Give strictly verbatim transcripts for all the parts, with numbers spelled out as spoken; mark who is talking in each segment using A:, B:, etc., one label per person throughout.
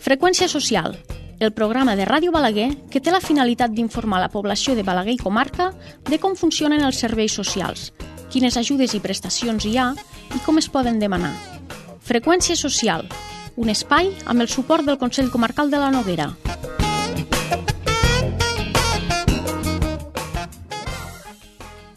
A: Freqüència social, el programa de Ràdio Balaguer que té la finalitat d'informar la població de Balaguer i comarca de com funcionen els serveis socials, quines ajudes i prestacions hi ha i com es poden demanar. Freqüència social, un espai amb el suport del Consell Comarcal de la Noguera.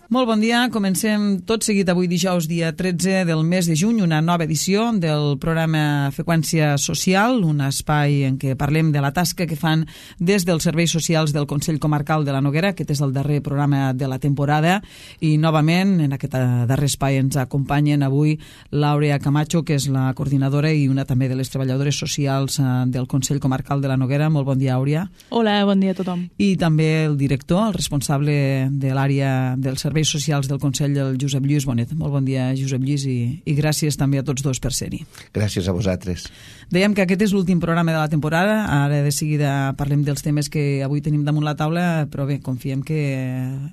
B: Molt bon dia, comencem tot seguit avui dijous dia tretze del mes de juny, una nova edició del programa Freqüència Social, un espai en què parlem de la tasca que fan des dels serveis socials del Consell Comarcal de la Noguera. Aquest és el darrer programa de la temporada i novament en aquest darrer espai ens acompanyen avui l'Àurea Camacho, que és la coordinadora i una també de les treballadores socials del Consell Comarcal de la Noguera. Molt bon dia, Àurea.
C: Hola, bon dia a tothom.
B: I també el director, el responsable de l'àrea del servei socials del Consell, el Josep Lluís Bonet. Molt bon dia, Josep Lluís, i, i gràcies també a tots dos per ser-hi.
D: Gràcies a vosaltres.
B: Dèiem que aquest és l'últim programa de la temporada, ara de seguida parlem dels temes que avui tenim damunt la taula, però bé, confiem que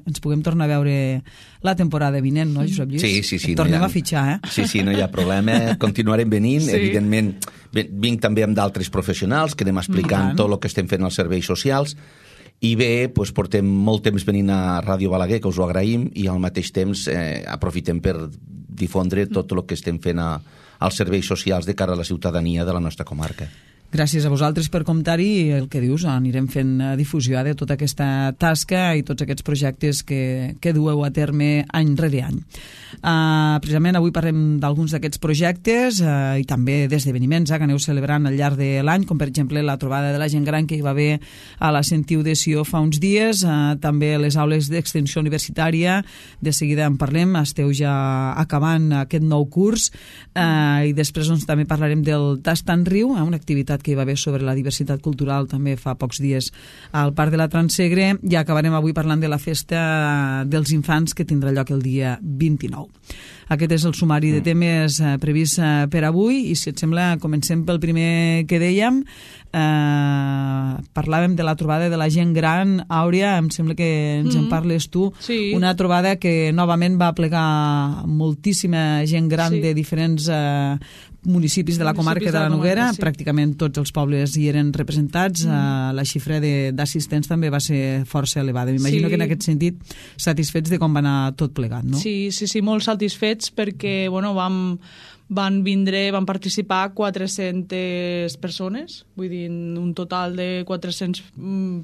B: ens puguem tornar a veure la temporada vinent, no, Josep Lluís?
D: Sí, sí, sí.
B: Et tornem
D: no ha...
B: a fitxar, eh?
D: Sí, sí, no hi ha problema. Continuarem venint, sí. Evidentment, vinc també amb d'altres professionals que anem explicant tot el que estem fent als serveis socials. I bé, doncs portem molt temps venint a Ràdio Balaguer, que us ho agraïm, i al mateix temps eh, aprofitem per difondre tot el que estem fent a, als serveis socials de cara a la ciutadania de la nostra comarca.
B: Gràcies a vosaltres per comptar-hi i el que dius, anirem fent difusió de tota aquesta tasca i tots aquests projectes que, que dueu a terme any rere any. Uh, precisament avui parlem d'alguns d'aquests projectes uh, i també d'esdeveniments uh, que aneu celebrant al llarg de l'any, com per exemple la trobada de la gent gran que hi va haver a la Sentiu de Sió fa uns dies, uh, també les aules d'extensió universitària, de seguida en parlem, esteu ja acabant aquest nou curs uh, i després doncs, també parlarem del Tast en Riu, uh, una activitat que hi va haver sobre la diversitat cultural també fa pocs dies al Parc de la Transegre, i acabarem avui parlant de la festa dels infants que tindrà lloc el dia vint-i-nou. Aquest és el sumari de temes eh, previst eh, per avui i si et sembla comencem pel primer que dèiem. Eh, parlàvem de la trobada de la gent gran. Àurea, em sembla que ens mm-hmm. en parles tu.
C: Sí.
B: Una trobada que novament va plegar moltíssima gent gran sí. de diferents eh, municipis de la comarca de la Noguera, sí. Pràcticament tots els pobles hi eren representats, mm. uh, la xifra d'assistents també va ser força elevada. M'imagino sí. que en aquest sentit satisfets de com va anar tot plegat, no?
C: Sí, sí, sí, molt satisfets perquè bueno, vam, van vindre, van participar quatre-centes persones, vull dir, un total de quatre-cents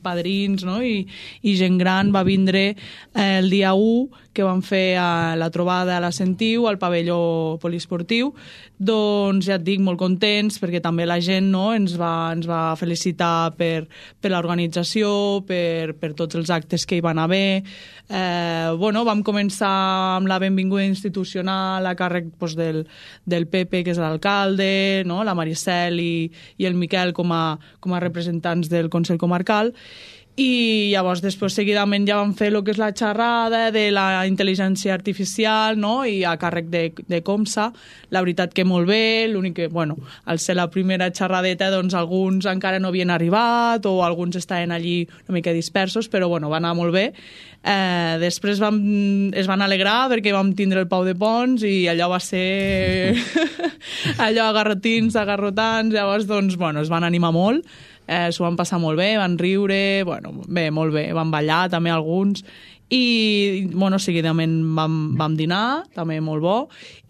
C: padrins, no? I, i gent gran va vindre eh, el dia u, que van fer a la trobada a la Sentiu, al pavelló poliesportiu. Doncs ja et dic, molt contents, perquè també la gent no, ens, va, ens va felicitar per, per l'organització, per, per tots els actes que hi van haver. Eh, bueno, vam començar amb la benvinguda institucional a càrrec doncs, del, del Pepe, que és l'alcalde, no? La Maricel i, i el Miquel com a, com a representants del Consell Comarcal. I llavors després seguidament ja vam fer el que és la xerrada de la intel·ligència artificial, no? I a càrrec de, de Comsa, la veritat que molt bé, l'únic que, bueno, al ser la primera xerradeta, doncs alguns encara no havien arribat o alguns estaven allí una mica dispersos, però bueno, va anar molt bé. Eh, després vam, es van alegrar perquè vam tindre el Pau de Pons i allò va ser allò agarrotins, agarrotants, llavors doncs, bueno, es van animar molt. Eh, s'ho van passar molt bé, van riure, bueno, bé, molt bé, van ballar també alguns i, bueno, seguidament vam, vam dinar, també molt bo,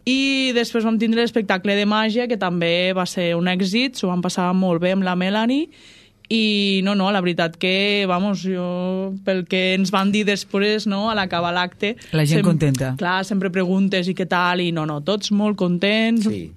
C: i després vam tindre l'espectacle de màgia, que també va ser un èxit, s'ho van passar molt bé amb la Melanie, i no, no, la veritat que, vamos, jo, pel que ens van dir després, no, a l'acabar l'acte...
B: La gent
C: sem-
B: contenta.
C: Clar, sempre preguntes i què tal, i no, no, tots molt contents...
D: Sí.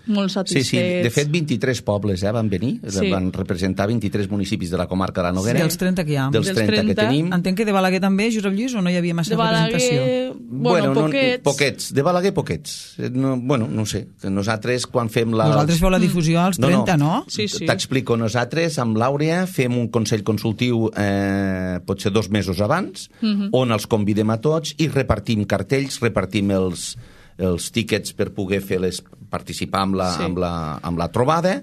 C: Molt satisfets.
D: Sí, sí, de fet vint-i-tres pobles eh, van venir, sí. Van representar vint-i-tres municipis de la comarca de la Noguera.
B: Sí, dels trenta que hi ha.
D: Dels trenta, trenta que tenim.
B: Entenc que de Balaguer també, Josep Lluís, o no hi havia massa
C: de Balaguer,
B: representació?
C: Bueno,
D: bueno
C: poquets.
D: No, poquets. De Balaguer, poquets. No, bueno, no sé. Nosaltres, quan fem la...
B: Vosaltres feu la difusió als trenta, no?
D: no?
C: Sí, sí.
D: T'explico. Nosaltres, amb l'Àurea, fem un consell consultiu eh, potser dos mesos abans, uh-huh. on els convidem a tots i repartim cartells, repartim els... els tíquets per poder fer les, participar amb la, sí. amb, la, amb la trobada,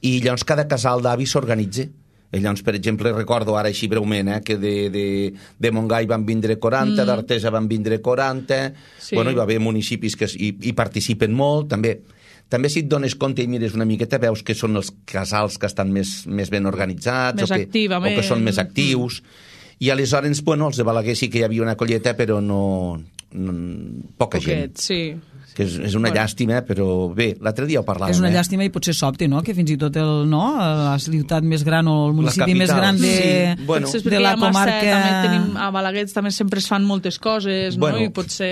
D: i llavors cada casal d'avi s'organitza. Llavors, per exemple, recordo ara així breument eh, que de, de, de Montgai van vindre quaranta, mm. d'Artesa van vindre quaranta, sí. Bueno, hi va haver municipis que hi, hi participen molt, també també si et dones compte i mires una miqueta veus que són els casals que estan més, més ben organitzats
C: més
D: o, que, o que són més actius. Mm. I aleshores, bueno, els de Balaguer sí que hi havia una colleta, però no... no poca
C: Poquet,
D: gent.
C: Sí.
D: Que és, és una bueno. llàstima, però bé, l'altre dia ho parlàvem.
B: És una
D: eh?
B: llàstima i potser sobte, no?, que fins i tot el, no, la ciutat més gran o el municipi més gran de,
D: sí. bueno.
B: de la comarca...
C: També tenim, a Balaguer també sempre es fan moltes coses,
D: bueno,
C: no? I potser...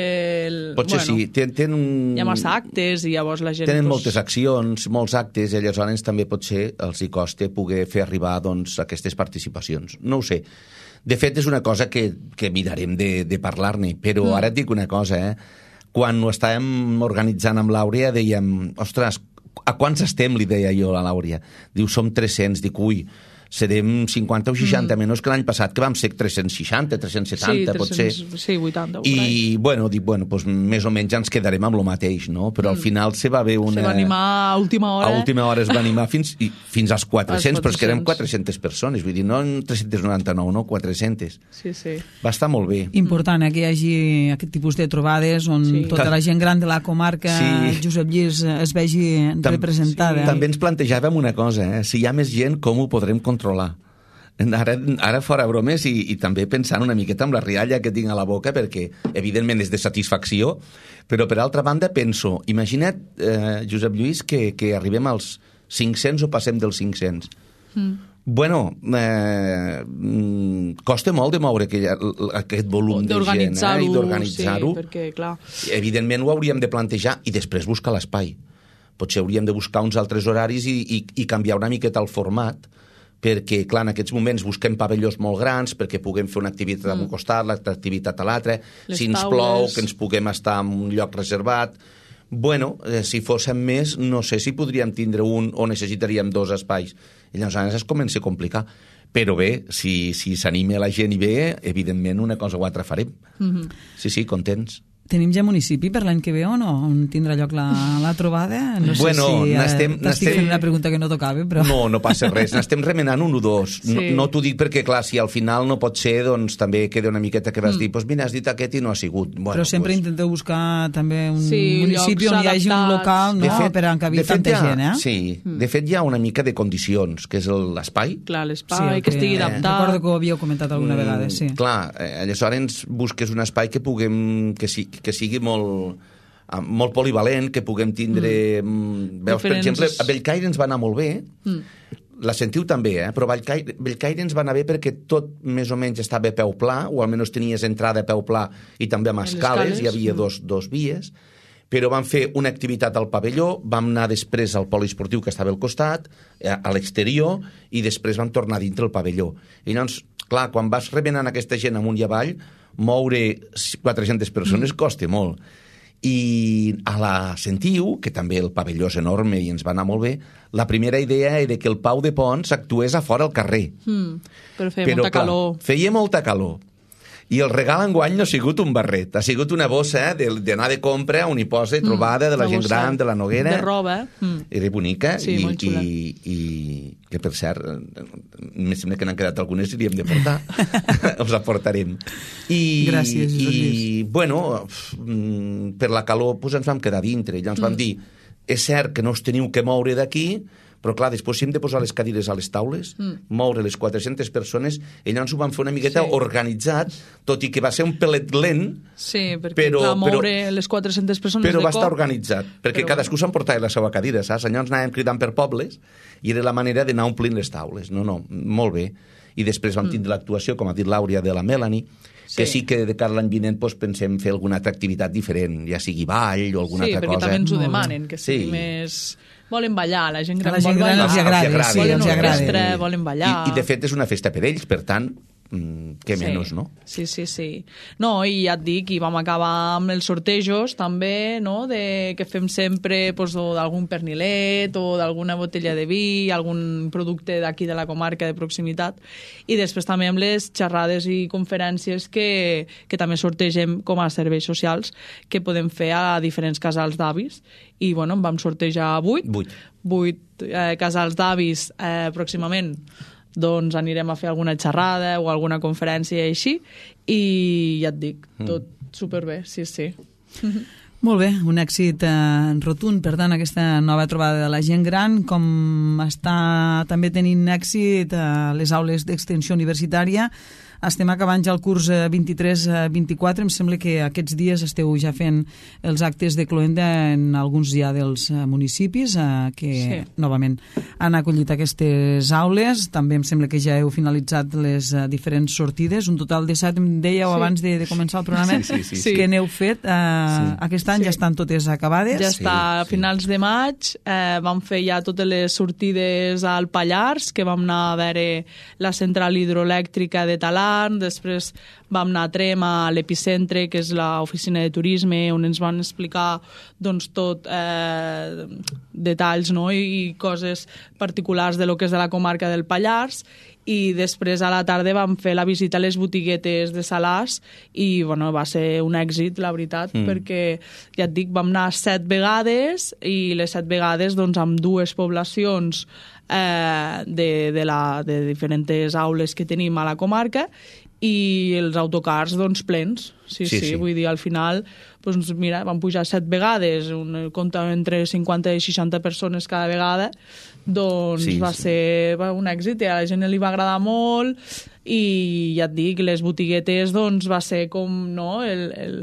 C: El,
D: potser
C: bueno,
D: sí. Ten, ten un...
C: Hi ha massa actes i llavors la gent...
D: Tenen
C: pues...
D: moltes accions, molts actes, i aleshores també potser els hi costa poder fer arribar doncs, aquestes participacions. No ho sé. De fet, és una cosa que, que mirarem de, de parlar-ne, però mm. ara et dic una cosa, eh? Quan ho estàvem organitzant amb l'Àurea dèiem, ostres, a quants estem, li deia jo a l'Àurea. Diu, som tres-cents, dic, ui, serem cinquanta o seixanta, mm. menys que l'any passat, que vam ser tres-cents seixanta, tres-cents setanta, sí, potser.
C: Sí, vuitanta.
D: I, I, bueno, dic, bueno, doncs més o menys ens quedarem amb el mateix, no? Però mm. al final se va haver una...
C: Se va animar a última hora.
D: A última hora es va animar fins, i, fins als quatre-cents, però és que érem quatre-centes persones, vull dir, no tres-cents noranta-nou, no, quatre-centes.
C: Sí, sí.
D: Va estar molt bé.
B: Important, eh, que hi hagi aquest tipus de trobades on sí. tota la gent gran de la comarca, sí. Josep Lluís, es vegi Tam representada.
D: Sí. També ens plantejàvem una cosa, eh? Si hi ha més gent, com ho podrem controlar? Ara, ara fora bromes i, i també pensant una miqueta amb la rialla que tinc a la boca, perquè evidentment és de satisfacció, però per altra banda penso, imagina't, eh, Josep Lluís, que, que arribem als cinc-cents o passem dels cinc-cents. Mm. Bueno, eh, costa molt de moure aquell, aquest volum de gent, eh, i d'organitzar-ho.
C: Sí, perquè, clar...
D: Evidentment ho hauríem de plantejar i després buscar l'espai. Potser hauríem de buscar uns altres horaris i, i, i canviar una miqueta el format, perquè, clar, en aquests moments busquem pavellons molt grans perquè puguem fer una activitat mm. a un costat, l'altra activitat a l'altre, si ens plou, que ens puguem estar en un lloc reservat. Bueno, eh, si fóssim més, no sé si podríem tindre un o necessitaríem dos espais. I llavors es comença a complicar. Però bé, si s'anima si la gent i bé, evidentment una cosa o altra farem. Mm-hmm. Sí, sí, contents.
B: Tenim ja municipi per l'any que ve o no? On tindrà lloc la, la trobada? No sé
D: bueno,
B: si
D: eh,
B: t'estic fent una pregunta que no tocava, però...
D: No, no passa res. N'estem remenant un o dos. Sí. No, no t'ho dic perquè, clar, si al final no pot ser, doncs també queda una miqueta que vas mm. dir, doncs mira, has dit aquest i no ha sigut. Bueno,
B: però sempre
D: pues...
B: intenteu buscar també un
C: sí,
B: municipi on hi hagi un local, no?, fet, per encabir tanta
D: ha,
B: gent, eh?
D: Sí, mm. de fet hi ha una mica de condicions, que és l'espai.
C: Clar, l'espai, sí, que, que estigui adaptat.
B: Eh, recordo que ho havíeu comentat alguna mm, vegada, sí.
D: Clar, eh, aleshores busques un espai que puguem, que, si, que sigui molt molt polivalent, que puguem tindre... Mm. Veus, Diferents... per exemple, a Bellcaire ens va anar molt bé, mm. la sentiu també, eh? Però Bellcaire, Bellcaire ens va anar bé perquè tot més o menys estava a peu pla, o almenys tenies entrada a peu pla i també amb escales, escales, hi havia mm. dos, dos vies, però vam fer una activitat al pavelló, vam anar després al poliesportiu que estava al costat, a l'exterior, i després vam tornar dintre el pavelló. I llavors, clar, quan vas remenant aquesta gent amunt i avall, moure quatre-centes persones mm. costa molt. I a la Sentiu, que també el pavelló és enorme i ens va anar molt bé, la primera idea era que el Pau de Pons actués a fora al carrer.
C: Mm, però feia però, molta clar, calor.
D: Feia molta calor. I el regal enguany no ha sigut un barret, ha sigut una bossa d'anar de compra on hi posa trobada mm, de la gent gran, de la Noguera.
C: De roba. Mm.
D: Era bonica.
C: Sí,
D: i,
C: molt xula.
D: I, i que, per cert, em sembla que n'han quedat algunes i li hem de portar. Els aportarem. I,
B: Gràcies, Josep Lluís.
D: I, bueno, per la calor doncs ens vam quedar dintre. I ens mm. vam dir, és cert que no us teniu que moure d'aquí, però clar, després hem de posar les cadires a les taules, mm. moure les quatre-centes persones, i llavors ho vam fer una miqueta sí. organitzat, tot i que va ser un pelet lent,
C: sí, perquè
D: però,
C: clar, moure
D: però,
C: les quatre-centes persones
D: però
C: de
D: va
C: cop...
D: estar organitzat, perquè però... cadascú s'emportava la seva cadira, saps? Llavors anàvem cridant per pobles, i era la manera d'anar omplint les taules. No, no, molt bé. I després vam tindre mm. l'actuació, com ha dit l'Àurea, de la Melanie, que sí, sí que de cara a l'any vinent doncs, pensem fer alguna altra activitat diferent, ja sigui ball o alguna
C: sí,
D: altra cosa.
C: Sí, perquè també ens ho demanen, que sigui
D: sí.
C: més... Volen ballar, la gent gran
B: la gent
C: vol ballar.
B: Els agrada,
D: agrada,
B: sí,
C: volen
B: els
C: orquestra, volen ballar.
D: I, I de fet és una festa per ells, per tant, què
C: sí.
D: menys, no?
C: Sí, sí, sí. No, i ja et dic, i vam acabar amb els sortejos també, no?, de, que fem sempre pues, d'algun pernilet o d'alguna botella de vi, algun producte d'aquí de la comarca de proximitat, i després també amb les xerrades i conferències que, que també sortegem com a serveis socials que podem fer a diferents casals d'avis. I, bueno, en vam sortejar vuit.
D: Vuit.
C: Vuit eh, casals d'avis eh, pròximament. Doncs anirem a fer alguna xerrada o alguna conferència així, i ja et dic, tot mm. superbé, sí, sí.
B: Molt bé, un èxit eh, rotund, per tant, aquesta nova trobada de la gent gran, com està també tenint èxit a eh, les aules d'extensió universitària. Estem acabant ja el curs vint-i-tres vint-i-quatre, em sembla que aquests dies esteu ja fent els actes de cloenda en alguns ja dels municipis eh, que sí. novament han acollit aquestes aules. També em sembla que ja heu finalitzat les uh, diferents sortides, un total de set, em dèieu sí. abans de, de començar el programa,
D: sí, sí, sí.
B: que n'heu fet. Uh, sí. Aquest any sí. ja estan totes acabades.
C: Ja està, sí, a finals sí. de maig eh, vam fer ja totes les sortides al Pallars, que vam anar a veure la central hidroelèctrica de Talar, després vam anar a Trem, a l'Epicentre, que és l'oficina de turisme, on ens van explicar doncs, tot eh, detalls, no? I, i coses particulars de lo que és de la comarca del Pallars, i després a la tarda vam fer la visita a les botiguetes de Salàs i bueno, va ser un èxit, la veritat, mm. perquè ja et dic, vam anar set vegades i les set vegades doncs, amb dues poblacions eh, de, de, la, de diferents aules que tenim a la comarca i els autocars doncs plens, sí, sí, sí, sí. Vull dir, al final doncs mira, van pujar set vegades, un compte entre cinquanta i seixanta persones cada vegada, doncs sí, va sí. ser va, un èxit i a la gent li va agradar molt i ja et dic, les botiguetes doncs va ser com no, el, el,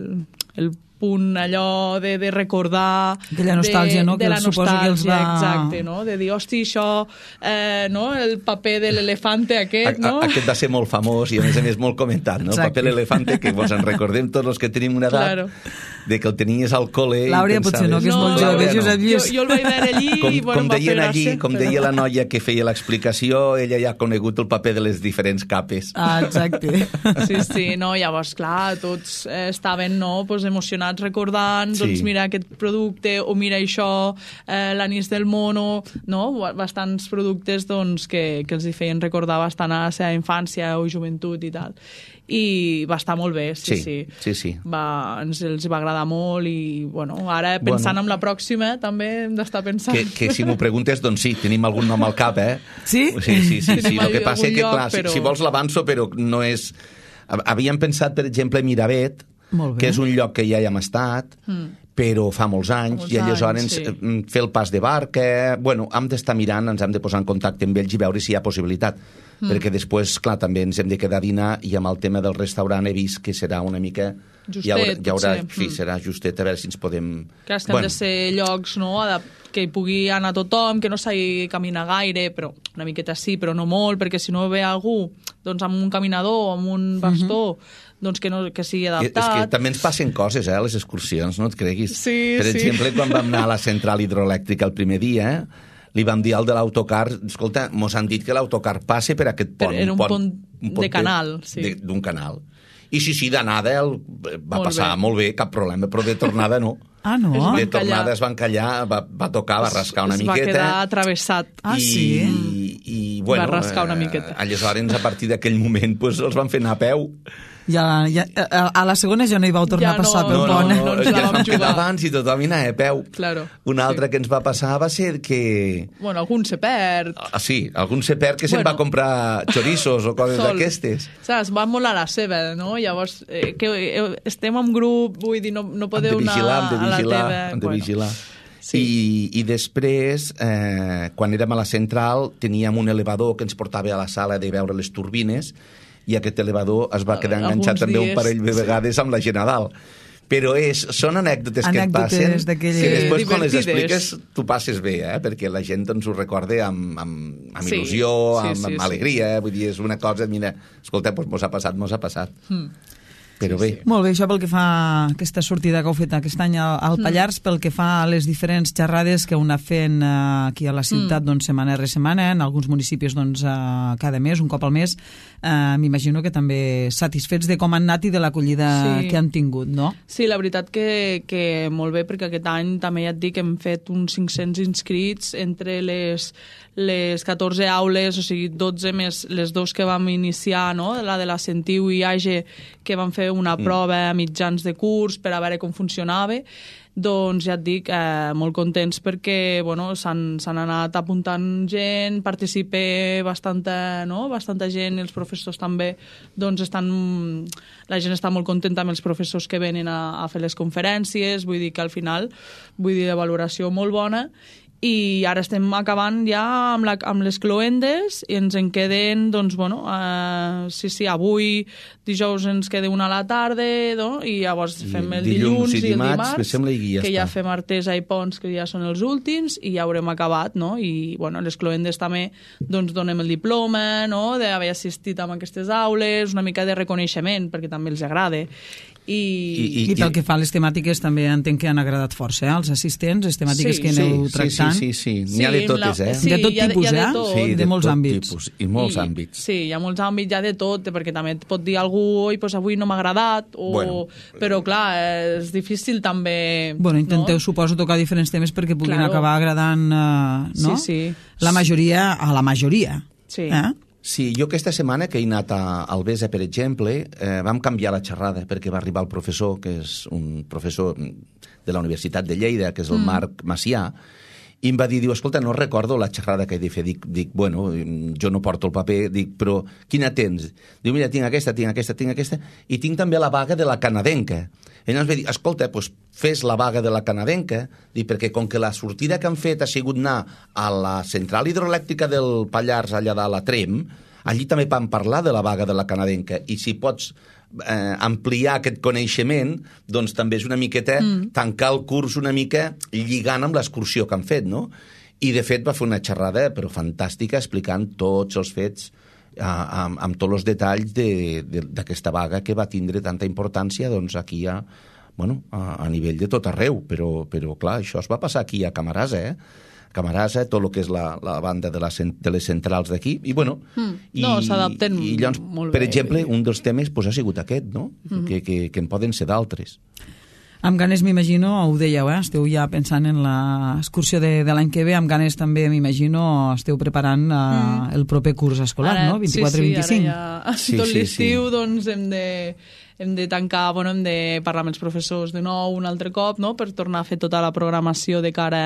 C: el punt allò de, de recordar
B: aquella nostàlgia,
C: de,
B: no?
C: de
B: que
C: la nostàlgia,
B: que els va...
C: exacte, no? De dir, hosti, això eh, no? El paper de l'elefante aquest, no?
D: A, aquest va ser molt famós i a més a més molt comentat, no? Exacte. El paper de l'elefante, que vos en recordem tots els que tenim una edat, claro. de que el tenies al col·le
B: L'Àurea potser no, que és no, molt jove, Josep Lluís.
C: Jo, jo el vaig veure allí
D: com,
C: i bueno,
D: com
C: va fer
D: allí,
C: gràcia.
D: Com
C: però...
D: deia la noia que feia l'explicació, ella ja ha conegut el paper de les diferents capes.
B: Ah, exacte.
C: Sí, sí, no, llavors, clar, tots eh, estaven no, pues, emocionats recordant, sí. doncs mira aquest producte, o mira això, eh, l'anís del mono, no? Bastants productes doncs, que, que els hi feien recordar bastant a la seva infància o joventut i tal. I va estar molt bé, sí,
D: sí.
C: sí.
D: sí, sí.
C: Va, ens els va agradar molt i, bueno, ara pensant bueno. en la pròxima també hem d'estar pensant.
D: Que, que si m'ho preguntes, doncs sí, tenim algun nom al cap, eh?
B: Sí?
D: Sí, sí, sí. sí. El que passa és que, clar,
C: lloc, però...
D: si, si vols l'avanço, però no és... Havíem pensat, per exemple, Miravet, que és un lloc que ja hi hem estat, mm. però fa molts anys, molts i aleshores anys, sí. fer el pas de barca... Bueno, hem d'estar mirant, ens hem de posar en contacte amb ells i veure si hi ha possibilitat. Mm. Perquè després, clar, també ens hem de quedar a dinar i amb el tema del restaurant he vist que serà una mica...
C: Justet,
D: hi haurà, hi haurà, sí,
C: mm.
D: serà justet, a veure si ens podem...
C: Clar, és que bueno. han de ser llocs, no?, que hi pugui anar tothom, que no s'hagi caminar gaire, però una miqueta sí, però no molt, perquè si no ve algú doncs, amb un caminador, amb un bastó, mm-hmm. doncs que, no, que sigui adaptat.
D: És que també ens passen coses, eh, a les excursions, no et creguis.
C: Sí,
D: per
C: sí.
D: exemple, quan vam anar a la central hidroelèctrica el primer dia, eh, li vam dir al de l'autocar, escolta, mos han dit que l'autocar passe per aquest pont.
C: Per, en un,
D: un
C: pont,
D: un pont
C: de canal, sí.
D: D'un canal. I sí, sí, d'anada el, va molt passar bé. molt bé, cap problema, però de tornada no.
B: Ah, no?
D: De tornada es va encallar, va, va tocar, va rascar una
C: es
D: miqueta.
C: Es va quedar atravessat.
B: Ah,
D: i,
B: sí?
D: I, i, bueno,
C: va rascar una miqueta.
D: Eh, aleshores, a partir d'aquell moment, pues, els van fer anar a peu.
B: Ja, ja, a la segona ja no hi vau tornar ja a passar
C: no,
B: pel
D: no,
B: pont.
D: No, no, no,
C: no
D: ja ens vam quedar abans i tothom hi anava a peu.
C: Claro,
D: Una altra
C: sí.
D: que ens va passar va ser que...
C: Bueno, algun se perd.
D: Ah, sí, algun se perd que bueno, se'n va comprar chorizos o coses d'aquestes.
C: Saps, va molt a la seva, no? Llavors, eh, que eh, estem en grup, vull dir, no, no podeu anar
D: vigilar,
C: a la teva...
D: Hem de
C: bueno.
D: vigilar.
C: Sí.
D: I, I després, eh, quan érem a la central, teníem un elevador que ens portava a la sala de veure les turbines i aquest elevador es va quedar enganxat també un parell de vegades amb la gent a dalt. Però és, són anècdotes,
B: anècdotes
D: que et passen que després sí, quan les expliques tu passes bé, eh? Perquè la gent ens ho recorda amb, amb, amb
C: sí,
D: il·lusió,
C: sí,
D: amb,
C: sí,
D: amb
C: sí.
D: alegria, eh? Vull dir, és una cosa, mira, escolta, doncs mos ha passat, mos ha passat. Mm. Però bé.
B: Sí, sí. Molt bé, això pel que fa a aquesta sortida que heu fet aquest any al Pallars, mm. pel que fa a les diferents xerrades que heu anat fent eh, aquí a la ciutat, mm. doncs, setmana rere setmana, en alguns municipis doncs, eh, cada mes, un cop al mes, eh, m'imagino que també satisfets de com han anat i de l'acollida sí. que han tingut, no?
C: Sí, la veritat que, que molt bé, perquè aquest any també ja et dic que hem fet uns cinc-cents inscrits entre les, les catorze aules, o sigui, dotze més les dos que vam iniciar, no? La de la Sentiu i Age, que vam fer una prova a mitjans de curs per a veure com funcionava. doncs ja et dic, eh, molt contents perquè bueno, s'han anat apuntant gent, participa bastanta, no? bastanta gent, i els professors també, doncs estan, la gent està molt contenta amb els professors que venen a, a fer les conferències, vull dir que al final, vull dir, de valoració molt bona, i ara estem acabant ja amb, la, amb les cloendes i ens en queden, doncs, bueno, uh, sí, sí, avui, dijous ens queda una a la tarda, no? I llavors fem el dilluns, dilluns i, i el dimarts,
D: sembla, i ja
C: que
D: està.
C: Ja fem Artesa i Ponts, que ja són els últims, i ja haurem acabat, no? I, bueno, les cloendes també, doncs, donem el diploma, no?, d'haver assistit a aquestes aules, una mica de reconeixement, perquè també els agrada. I,
B: I, i, I pel que fa a les temàtiques també entenc que han agradat força, eh? Els assistents, les temàtiques
C: sí,
B: que aneu
D: sí,
B: tractant.
D: Sí, sí, sí, sí. N'hi ha de totes, eh?
B: Sí, de tot tipus,
C: de,
B: eh?
C: tot.
B: Sí, de, de molts àmbits.
D: Tipus, I molts
C: I,
D: àmbits.
C: Sí, hi ha molts àmbits, hi ha de tot, perquè també et pot dir algú, oi, pues avui no m'ha agradat, o... bueno, però clar, és difícil també...
B: Bueno, intenteu,
C: no?
B: suposo, tocar diferents temes perquè puguin
C: claro.
B: acabar agradant, eh, no?
C: Sí, sí.
B: La majoria, a la majoria.
C: Sí.
B: Eh?
D: Sí, jo aquesta setmana que he anat a Albesa, per exemple, eh, vam canviar la xerrada perquè va arribar el professor, que és un professor de la Universitat de Lleida, que és el mm. Marc Macià, i em va dir, diu, escolta, no recordo la xerrada que he de fer. Dic, dic, bueno, jo no porto el paper, dic, però quina tens? Diu, mira, tinc aquesta, tinc aquesta, tinc aquesta, i tinc també la vaga de la canadenca. Ell ens va dir, escolta, doncs fes la vaga de la canadenca, dic, perquè com que la sortida que han fet ha sigut anar a la central hidroelèctrica del Pallars, allà dalt a Trem, allí també van parlar de la vaga de la canadenca, i si pots eh, ampliar aquest coneixement, doncs també és una miqueta mm. tancar el curs una mica lligant amb l'excursió que han fet, no? I de fet va fer una xerrada però fantàstica explicant tots els fets amb, amb tots els detalls d'aquesta de, de, vaga que va tindre tanta importància doncs aquí a, bueno, a, a nivell de tot arreu, però, però clar, això es va passar aquí a Camarasa, eh? Camarasa, tot el que és la, la banda de, la, de les centrals d'aquí, i bueno...
C: Mm. No, s'adapten
D: llavors,
C: molt
D: per
C: bé.
D: exemple, un dels temes pues, ha sigut aquest, no? Mm. Que, que, que en poden ser d'altres.
B: Amb ganes, m'imagino, ho dèieu, eh? Esteu ja pensant en l'excursió de, de l'any que ve, amb ganes també, m'imagino, esteu preparant uh, mm. el proper curs escolar,
C: ara,
B: no? vint-i-quatre vint-i-cinc.
C: Sí, sí, ara ja,
D: sí,
C: tot
D: sí,
C: l'estiu,
D: sí.
C: doncs, hem de, hem de tancar, bueno, hem de parlar amb els professors de nou un altre cop, no?, per tornar a fer tota la programació de cara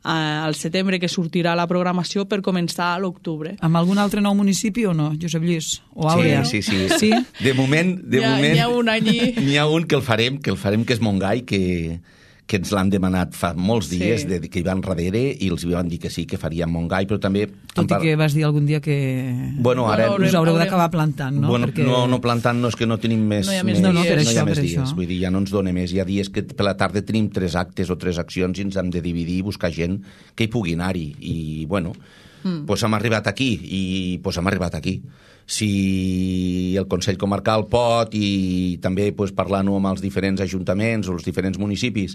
C: a, al setembre, que sortirà la programació per començar a l'octubre.
B: Amb algun altre nou municipi o no, Josep Lluís? O Àurea?
D: Sí, sí, sí.
B: sí?
D: De moment, de
C: N'hi ha,
D: moment...
C: n'hi ha un any i...
D: N'hi ha un que el farem, que el farem, que és Montgai, que... que ens l'han demanat fa molts dies,
C: sí.
D: de, que hi van darrere, i els van dir que sí, que faríem Montgai, però també...
B: Tot i que vas dir algun dia que...
D: Bueno, ara...
C: Bueno,
B: us haureu d'acabar plantant, no?
D: Bueno,
B: Perquè...
D: no, no plantant, no, és que no tenim més,
C: no hi ha més,
D: més
C: no, no,
B: per
D: no
B: això,
D: hi ha més
B: per
D: dies.
B: això.
D: Vull dir, ja no ens dona més. Hi ha dies que per la tarda tenim tres actes o tres accions i ens hem de dividir i buscar gent que hi pugui anar-hi. I, bueno, mm. pues hem arribat aquí, i pues hem arribat aquí. Si el Consell Comarcal pot, i també pues, parlant-ho amb els diferents ajuntaments o els diferents municipis,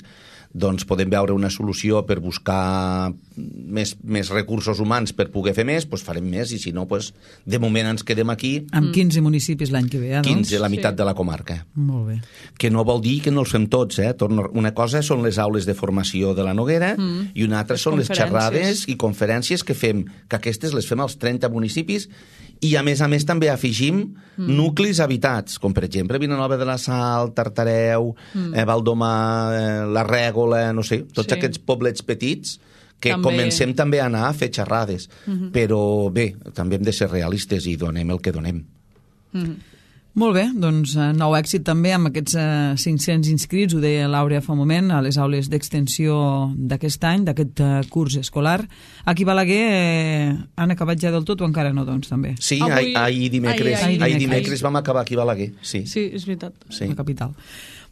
D: doncs podem veure una solució per buscar més, més recursos humans per poder fer més, doncs farem més, i si no, doncs, de moment ens quedem aquí.
B: Amb quinze municipis l'any que ve, eh, doncs?
D: quinze, la meitat
C: sí.
D: de la comarca.
B: Molt bé.
D: Que no vol dir que no els fem tots, eh? Una cosa són les aules de formació de la Noguera mm. i una altra
C: les
D: són les xerrades i conferències que fem, que aquestes les fem als trenta municipis, i a més a més també afegim mm. nuclis habitats, com per exemple Vilanova de la Sal, Tartareu, mm. eh, Valdomà, eh, la Règola, no sé, tots sí. aquests poblets petits que també. Comencem també a anar a fer xerrades. Mm-hmm. Però bé, també hem de ser realistes i donem el que donem.
B: Mm-hmm. Molt bé, doncs nou èxit també amb aquests eh, cinc-cents inscrits, ho deia l'Àurea fa un moment, a les aules d'extensió d'aquest any, d'aquest eh, curs escolar. Aquí a Balaguer eh, han acabat ja del tot o encara no, doncs, també?
D: Sí,
C: Avui...
D: ahir dimecres,
C: ahir,
D: ahir,
C: ahir,
D: dimecres
C: ahir.
D: vam acabar aquí a Balaguer. Sí,
C: sí és veritat.
D: Sí.
B: La capital.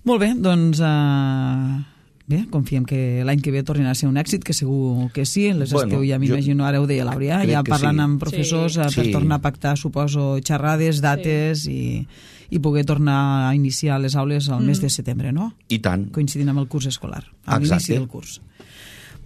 B: Molt bé, doncs... Eh... Bé, confiem que l'any que ve tornarà a ser un èxit, que segur que sí. Les bueno, esteu, ja m'imagino, ara ho deia l'Àurea, ja parlant sí. amb professors sí. per sí. tornar a pactar, suposo, xerrades, dates sí. i, i poder tornar a iniciar les aules al mm. mes de setembre, no?
D: I tant.
B: Coincidint amb el curs escolar, amb l'inici del curs.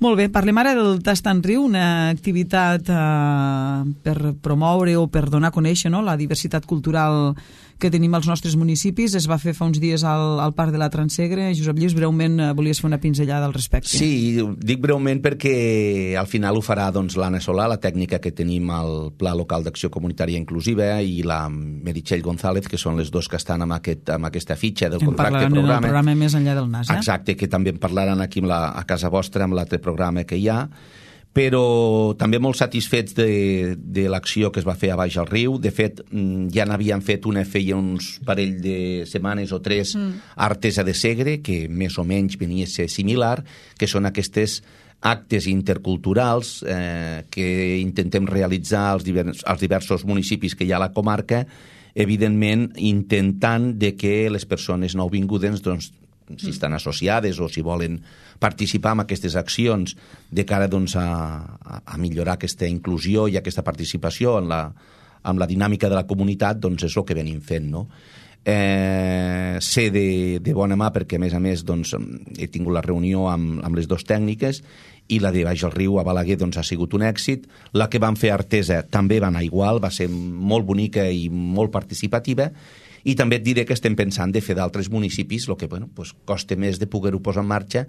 B: Molt bé, parlem ara del Tast en Riu, una activitat eh, per promoure o per donar a conèixer, no?, la diversitat cultural que tenim als nostres municipis. Es va fer fa uns dies al, al Parc de la Transegre. Josep Lluís, breument eh, volies fer una pinzellada al respecte.
D: Sí, dic breument perquè al final ho farà doncs, l'Anna Solà, la tècnica que tenim al Pla Local d'Acció Comunitària Inclusiva, i la Meritxell González, que són les dos que estan amb, aquest, amb aquesta fitxa del
B: en
D: contracte programa.
B: En parlaran en el programa Més enllà del nas, eh?
D: Exacte, que també en parlaran aquí amb la, a casa vostra amb l'altre programa que hi ha, però també molt satisfets de, de l'acció que es va fer a Baix al Riu. De fet, ja n'havien fet una feia uns parell de setmanes o tres mm. a Artesa de Segre, que més o menys venia a ser similar, que són aquestes actes interculturals eh, que intentem realitzar als, divers, als diversos municipis que hi ha a la comarca, evidentment intentant de que les persones nouvingudes, doncs, si estan associades o si volen participar en aquestes accions de cara doncs, a, a millorar aquesta inclusió i aquesta participació en la, en la dinàmica de la comunitat, doncs és el que venim fent, no? Eh, sé de, de bona mà perquè, a més a més, doncs, he tingut la reunió amb, amb les dues tècniques, i la de Baix al Riu a Balaguer doncs, ha sigut un èxit. La que van fer a Artesa també va anar igual, va ser molt bonica i molt participativa. I també et diré que estem pensant de fer d'altres municipis, el que bueno, pues, costa més de poder-ho posar en marxa,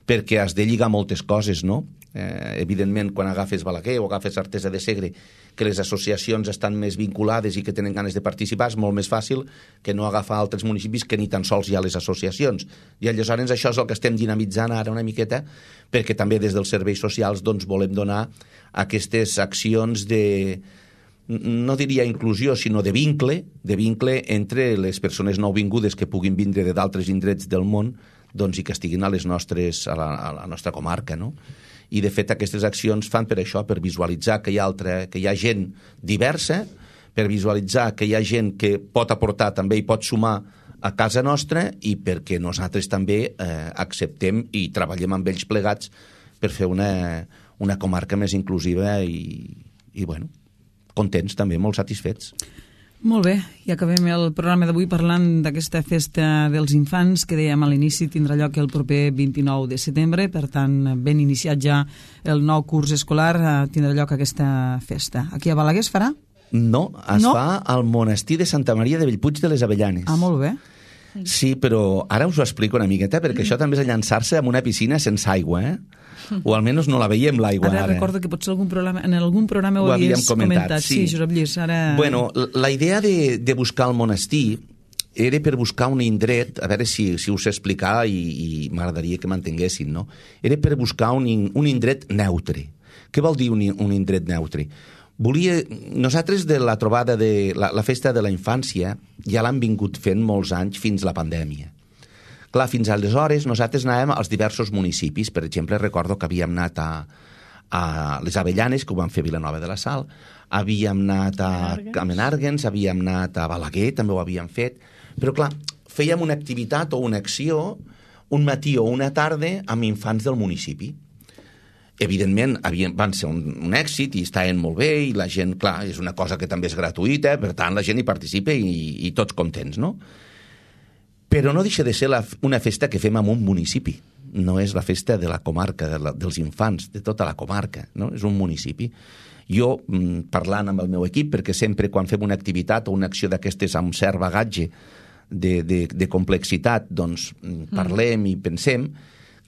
D: perquè has de lligar moltes coses, no? Eh, evidentment, quan agafes Balaguer o agafes Artesa de Segre, que les associacions estan més vinculades i que tenen ganes de participar, és molt més fàcil que no agafar altres municipis que ni tan sols hi ha les associacions. I aleshores això és el que estem dinamitzant ara una miqueta, perquè també des dels serveis socials doncs, volem donar aquestes accions de, no diria inclusió, sinó de vincle, de vincle entre les persones nouvingudes que puguin vindre de d'altres indrets del món, doncs, i que estiguin a les nostres, a la, a la nostra comarca, no? I de fet aquestes accions fan per això, per visualitzar que hi ha, altra, que hi ha gent diversa, per visualitzar que hi ha gent que pot aportar també i pot sumar a casa nostra, i perquè nosaltres també eh, acceptem i treballem amb ells plegats per fer una, una comarca més inclusiva i, i bueno, contents també, molt satisfets.
B: Molt bé, i acabem el programa d'avui parlant d'aquesta festa dels infants que dèiem a l'inici tindrà lloc el proper vint-i-nou de setembre, per tant, ben iniciat ja el nou curs escolar, tindrà lloc aquesta festa. Aquí a Balaguer es farà?
D: No, es
B: no?
D: fa al monestir de Santa Maria de Bellpuig de les Avellanes.
B: Ah, molt bé.
D: Sí, però ara us ho explico una miqueta, perquè això també és llançar-se en una piscina sense aigua, eh? O almenys no la veiem l'aigua ara.
B: Ara recordo que potser algun programa, en algun programa ho, ho havies comentat. comentat. Sí, sí, Josep Lluís, ara...
D: Bueno, la idea de, de buscar el monestir era per buscar un indret, a veure si, si us explicar i, i m'agradaria que m'entenguessin, no? Era per buscar un, un indret neutre. Què vol dir un, un indret neutre? Volia... Nosaltres de la trobada de la, la festa de la infància ja l'han vingut fent molts anys fins la pandèmia. Clar, fins aleshores nosaltres anàvem als diversos municipis. Per exemple, recordo que havíem anat a, a les Avellanes, que ho van fer Vilanova de la Sal, havíem anat a, a Menàrguens, havíem anat a Balaguer, també ho havíem fet, però clar, fèiem una activitat o una acció un matí o una tarda amb infants del municipi. Evidentment, havien, van ser un, un èxit i estaven molt bé i la gent, clar, és una cosa que també és gratuïta, per tant la gent hi participa i, i tots contents, no? Però no deixa de ser la, una festa que fem en un municipi. No és la festa de la comarca, de la, dels infants, de tota la comarca, no? És un municipi. Jo, parlant amb el meu equip, perquè sempre quan fem una activitat o una acció d'aquestes amb cert bagatge de, de, de complexitat, doncs parlem mm. i pensem,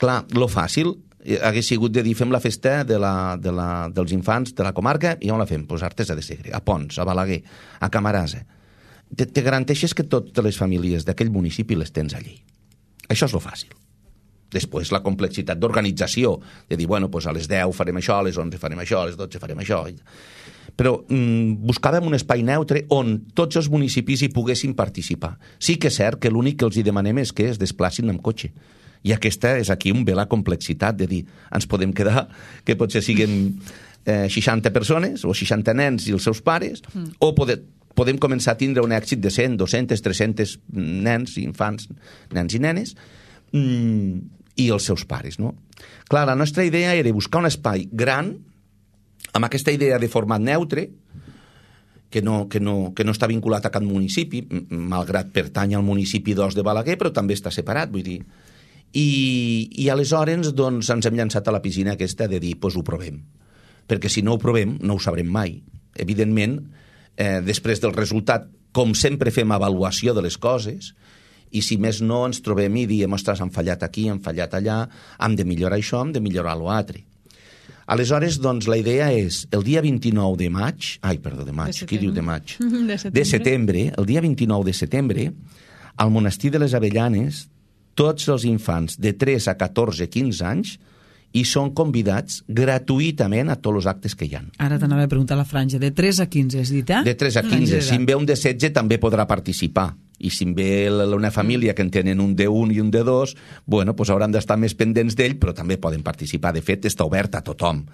D: clar, lo fàcil hagués sigut de dir fem la festa de la, de la, dels infants de la comarca i on la fem? Pues a Artesa de Segre, a Pons, a Balaguer, a Camarasa. Te, te garanteixes que totes les famílies d'aquell municipi les tens allí. Això és lo fàcil. Després la complexitat d'organització, de dir, bueno, pues a les deu farem això, a les onze farem això, a les dotze farem això. Però mm, buscàvem un espai neutre on tots els municipis hi poguessin participar. Sí que és cert que l'únic que els hi demanem és que es desplacin amb cotxe. I aquesta és aquí on ve la complexitat de dir, ens podem quedar, que potser siguin eh, seixanta persones o seixanta nens i els seus pares, mm. o poder... podem començar a tindre un èxit de cent, dues-centes, tres-centes nens, infants, nens i nenes, mmm, i els seus pares, no? Clar, la nostra idea era buscar un espai gran, amb aquesta idea de format neutre, que no, que no, que no està vinculat a cap municipi, malgrat pertany al municipi d'Os de Balaguer, però també està separat, vull dir. I, i aleshores doncs, ens hem llançat a la piscina aquesta de dir, doncs ho provem. Perquè si no ho provem, no ho sabrem mai. Evidentment, eh, després del resultat, com sempre fem avaluació de les coses, i si més no ens trobem i diem, ostres, hem fallat aquí, hem fallat allà, hem de millorar això, hem de millorar l'altre. Aleshores, doncs, la idea és, el dia vint-i-nou de maig, ai, perdó, de maig, qui diu de maig?
C: De setembre.
D: De setembre, el dia vint-i-nou de setembre, al monestir de les Avellanes, tots els infants de tres a catorze a quinze anys i són convidats gratuïtament a tots els actes que hi ha.
B: Ara t'anava a preguntar la franja. De tres a quinze, has dit, eh?
D: De tres a quinze. Si en ve un de setze també podrà participar. I si en ve una família que en tenen un de un i un de dos, bueno, doncs hauran d'estar més pendents d'ell, però també poden participar. De fet, està obert a tothom.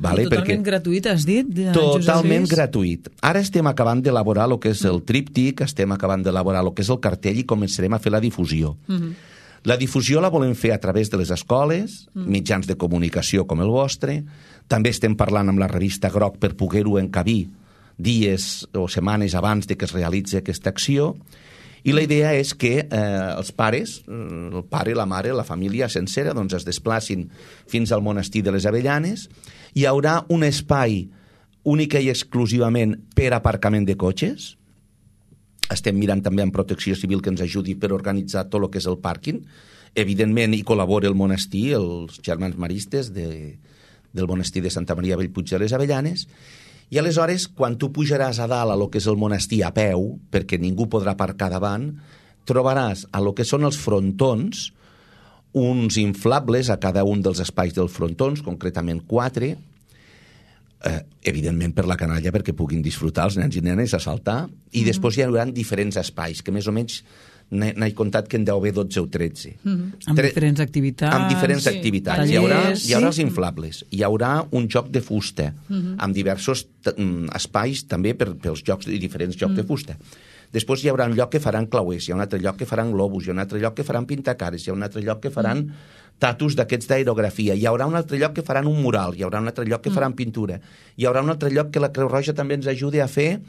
D: Vale?
B: Totalment Perquè... gratuït, has dit?
D: Totalment gratuït. Ara estem acabant d'elaborar el que és el tríptic, estem acabant d'elaborar el que és el cartell i començarem a fer la difusió. Uh-huh. La difusió la volem fer a través de les escoles, uh-huh. mitjans de comunicació com el vostre. També estem parlant amb la revista Groc per poder-ho encabir dies o setmanes abans de que es realitzi aquesta acció. I la idea és que eh, els pares, el pare, la mare, la família sencera, doncs es desplacin fins al monestir de les Avellanes. Hi haurà un espai únic i exclusivament per aparcament de cotxes. Estem mirant també amb Protecció Civil que ens ajudi per organitzar tot el que és el pàrquing. Evidentment, hi col·labora el monestir, els germans maristes de, del monestir de Santa Maria Bellpuig de les Avellanes. I aleshores, quan tu pujaràs a dalt a lo que és el monestir a peu, perquè ningú podrà aparcar davant, trobaràs a lo que són els frontons uns inflables a cada un dels espais dels frontons, concretament quatre, eh, evidentment per la canalla perquè puguin disfrutar els nens i nenes a saltar, i mm-hmm. després hi haurà diferents espais, que més o menys n'he comptat que en deu haver dotze o tretze.
B: Mm-hmm. Amb Tre- diferents activitats.
D: Amb diferents
B: sí.
D: activitats. Tallers, hi haurà, hi haurà els inflables, hi haurà un joc de fusta, mm-hmm. amb diversos t- espais també per, pels jocs i diferents jocs mm. de fusta. Després hi haurà un lloc que faran clauers, hi ha un altre lloc que faran globus, hi ha un altre lloc que faran pintacares, hi ha un altre lloc que faran mm. tatus d'aquests d'aerografia, hi haurà un altre lloc que faran un mural, hi haurà un altre lloc que mm. faran pintura, hi haurà un altre lloc que la Creu Roja també ens ajudi a fer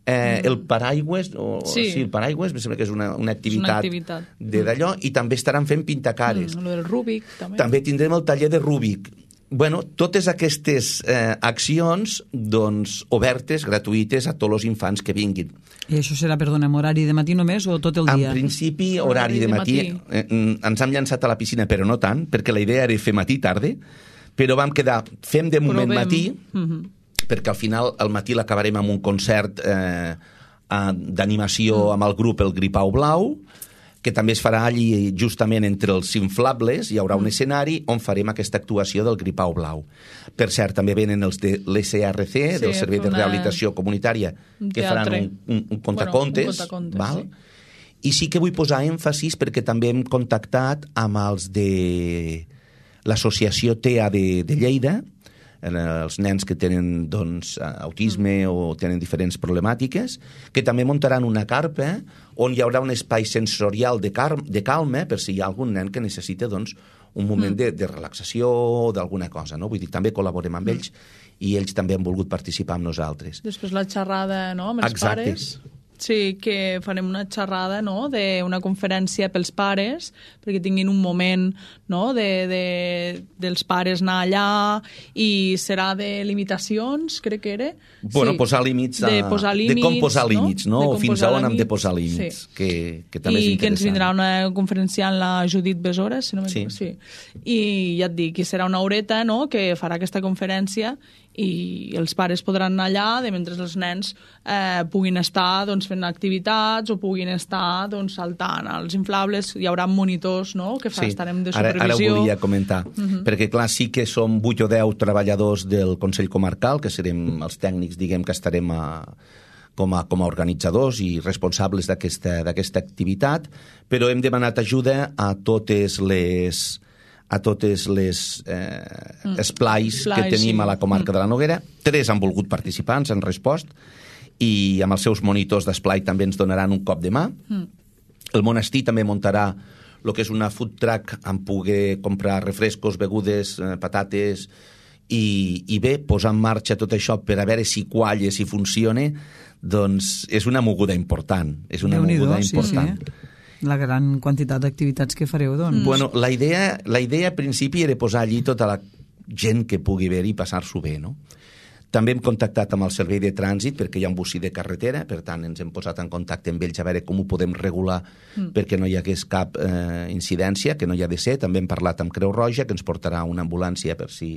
D: Eh, el paraigües, o, sí. sí, el paraigües, em sembla que és una, una activitat,
C: una activitat.
D: De d'allò, i també estaran fent pintacares.
C: Mm, el Rúbic, també.
D: També tindrem el taller de Rúbic. Bueno, totes aquestes eh, accions, doncs, obertes, gratuïtes a tots els infants que vinguin.
B: I això serà, perdona, en horari de matí només o tot el dia?
D: En principi, horari, horari de, de matí. matí. Eh, ens hem llançat a la piscina, però no tant, perquè la idea era fer matí-tarda, però vam quedar, fem de moment Provem. matí, mm-hmm. perquè al final al matí l'acabarem amb un concert eh, d'animació mm. amb el grup El Gripau Blau, que també es farà allí justament entre els inflables, hi haurà un escenari on farem aquesta actuació del Gripau Blau. Per cert, també venen els de l'E S R C, sí, del Servei de Rehabilitació Comunitària, que faran un, un, un contacontes, bueno, un contacontes val? Sí. I sí que vull posar èmfasis perquè també hem contactat amb els de l'associació T E A de, de Lleida, els nens que tenen doncs, autisme mm. o tenen diferents problemàtiques, que també muntaran una carpa on hi haurà un espai sensorial de, car de calma per si hi ha algun nen que necessita doncs, un moment mm. de, de relaxació o d'alguna cosa. No? Vull dir, també col·laborem amb mm. ells i ells també han volgut participar amb nosaltres.
C: Després la xerrada, no?, amb els
D: Exacte.
C: pares. Sí, que farem una xerrada, no?, d'una conferència pels pares, perquè tinguin un moment, no?, de, de, dels pares anar allà, i serà de limitacions, crec que era.
D: Bueno,
C: sí.
D: posar límits, a...
C: de, posar límits,
D: de com posar límits, no?
C: no?
D: O fins a on hem de posar límits, sí. que, que també
C: I
D: és interessant.
C: I que ens vindrà una conferenciant, la Judit Besora, si no
D: sí.
C: sí. I ja et dic, que serà una horeta, no?, que farà aquesta conferència, i els pares podran anar allà de mentre els nens eh, puguin estar doncs, fent activitats o puguin estar doncs, saltant als inflables. Hi haurà monitors, no?, que fa, sí. estarem de supervisió.
D: Ara, ara ho volia comentar, uh -huh. perquè clar, sí que som vuit o deu treballadors del Consell Comarcal, que serem els tècnics, diguem, que estarem a, com, a, com a organitzadors i responsables d'aquesta d'aquesta activitat, però hem demanat ajuda a totes les a totes les eh, mm. esplais que tenim sí. a la comarca mm. de la Noguera. Tres han volgut participar, ens han respost, i amb els seus monitors d'esplai també ens donaran un cop de mà. Mm. El monestir també muntarà el que és una food truck amb poder comprar refrescos, begudes, eh, patates, i, i bé, posar en marxa tot això per a veure si qualla, si funciona, doncs és una moguda important. És una moguda important. Sí, sí.
B: la gran quantitat d'activitats que fareu, doncs.
D: Bueno, la idea, la idea a principi era posar allí tota la gent que pugui haver i passar-s'ho bé, no? També hem contactat amb el servei de trànsit perquè hi ha un bocí de carretera, per tant ens hem posat en contacte amb ells a veure com ho podem regular mm. perquè no hi hagués cap eh, incidència, que no hi ha de ser. També hem parlat amb Creu Roja, que ens portarà una ambulància per si,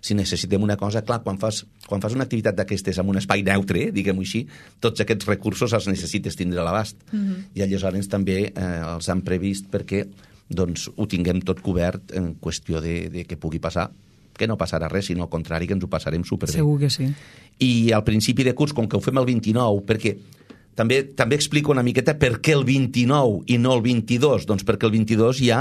D: si necessitem una cosa. Clar, quan fas, quan fas una activitat d'aquestes en un espai neutre, diguem-ho així, tots aquests recursos els necessites tindre a l'abast. Mm-hmm. I aleshores també eh, els han previst perquè doncs, ho tinguem tot cobert en qüestió de, de que pugui passar, que no passarà res, sinó al contrari, que ens ho passarem superbé.
B: Segur que sí.
D: I al principi de curs, com que ho fem el vint-i-nou, perquè també també explico una miqueta per què el vint-i-nou i no el vint-i-dos, doncs perquè el vint-i-dos ja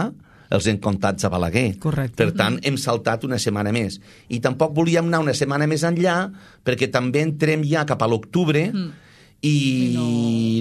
D: els hem comptats a Balaguer.
B: Correcte.
D: Per tant, hem saltat una setmana més. I tampoc volíem anar una setmana més enllà, perquè també entrem ja cap a l'octubre, mm. i, I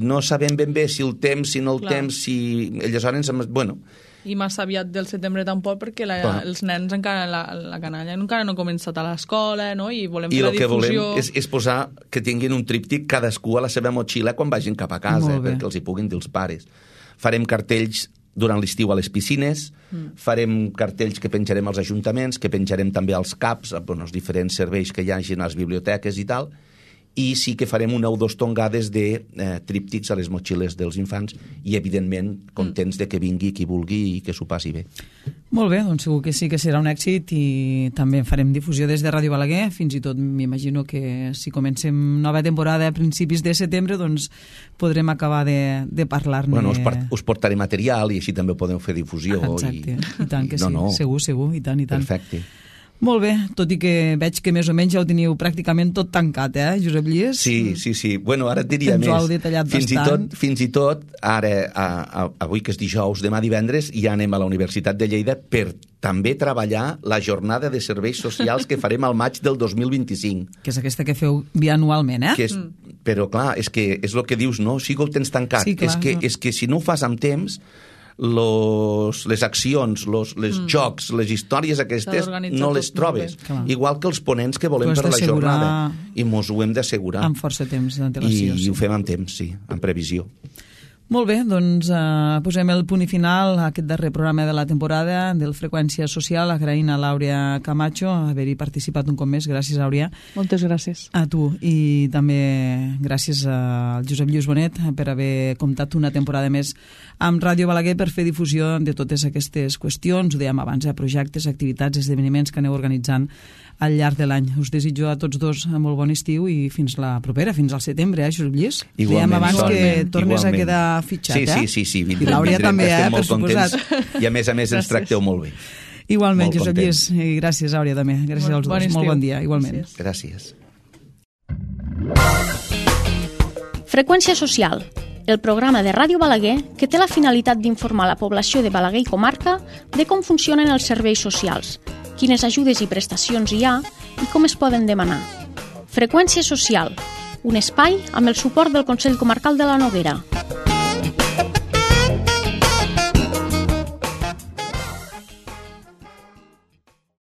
D: no... no sabem ben bé si el temps, si no el Clar. temps, si... Aleshores, bueno...
C: I massa aviat del setembre tampoc, perquè la, els nens encara, la, la canalla encara no ha començat a l'escola, no? I volem fer
D: I
C: la difusió...
D: I el que volem és, és posar que tinguin un tríptic cadascú a la seva motxilla quan vagin cap a casa, perquè els hi puguin dir els pares. Farem cartells durant l'estiu a les piscines, mm. farem cartells que penjarem als ajuntaments, que penjarem també als CAPs, bueno, els diferents serveis que hi hagi a les biblioteques i tal, i sí que farem una o dos tongades de eh, tríptics a les motxilles dels infants i, evidentment, contents de que vingui qui vulgui i que s'ho passi bé.
B: Molt bé, doncs segur que sí que serà un èxit i també farem difusió des de Ràdio Balaguer. Fins i tot m'imagino que si comencem nova temporada a principis de setembre, doncs podrem acabar de, de parlar-ne.
D: Bueno, us, part, us portaré material i així també podeu fer difusió.
B: Exacte, i,
D: i
B: tant que
D: no,
B: sí,
D: no.
B: segur, segur, i tant, i tant.
D: Perfecte.
B: Molt bé, tot i que veig que més o menys ja ho teniu pràcticament tot tancat, eh, Josep Lluís?
D: Sí, sí, sí. Bueno, ara et diria
B: Ens
D: més.
B: ho heu detallat
D: fins
B: bastant.
D: I tot, fins i tot, ara, a, a, avui que és dijous, demà divendres, ja anem a la Universitat de Lleida per també treballar la jornada de serveis socials que farem al maig del dos mil vint-i-cinc.
B: Que és aquesta que feu bianualment, eh?
D: Que és, mm. Però, clar, és que és el que dius, no? Sí que ho tens tancat.
B: Sí, clar,
D: és, que,
B: no.
D: és que si no ho fas amb temps... Los, les accions, los, les mm. jocs, les històries aquestes no les trobes. Igual que els ponents que volem per la jornada. I mos ho hem d'assegurar.
B: Amb força temps d'antelació.
D: I, sí. I ho fem amb temps, sí, amb previsió.
B: Molt bé, doncs eh, posem el punt i final a aquest darrer programa de la temporada del Freqüència Social, agraint a l'Àurea Camacho haver-hi participat un cop més. Gràcies, Àurea.
C: Moltes gràcies.
B: A tu. I també gràcies al Josep Lluís Bonet per haver comptat una temporada més amb Ràdio Balaguer per fer difusió de totes aquestes qüestions, ho dèiem abans, eh, projectes, activitats, esdeveniments que aneu organitzant al llarg de l'any. Us desitjo a tots dos molt bon estiu i fins la propera, fins al setembre, eh, Josep Lluís?
D: Igualment.
B: Dèiem abans
D: igualment,
B: que tornes
D: igualment.
B: a quedar fitxat,
D: sí,
B: eh?
D: Sí, sí, sí.
B: I l'Àurea també, eh, per suposat.
D: I a més a més ens tracteu molt bé.
B: Igualment,
D: molt
B: Josep Lluís. I gràcies, Àurea, també. Gràcies
C: bon,
B: als dos.
C: Bon
B: molt bon dia, igualment.
D: Gràcies.
A: Freqüència Social, el programa de Ràdio Balaguer que té la finalitat d'informar la població de Balaguer i comarca de com funcionen els serveis socials, quines ajudes i prestacions hi ha i com es poden demanar. Freqüència Social, un espai amb el suport del Consell Comarcal de la Noguera.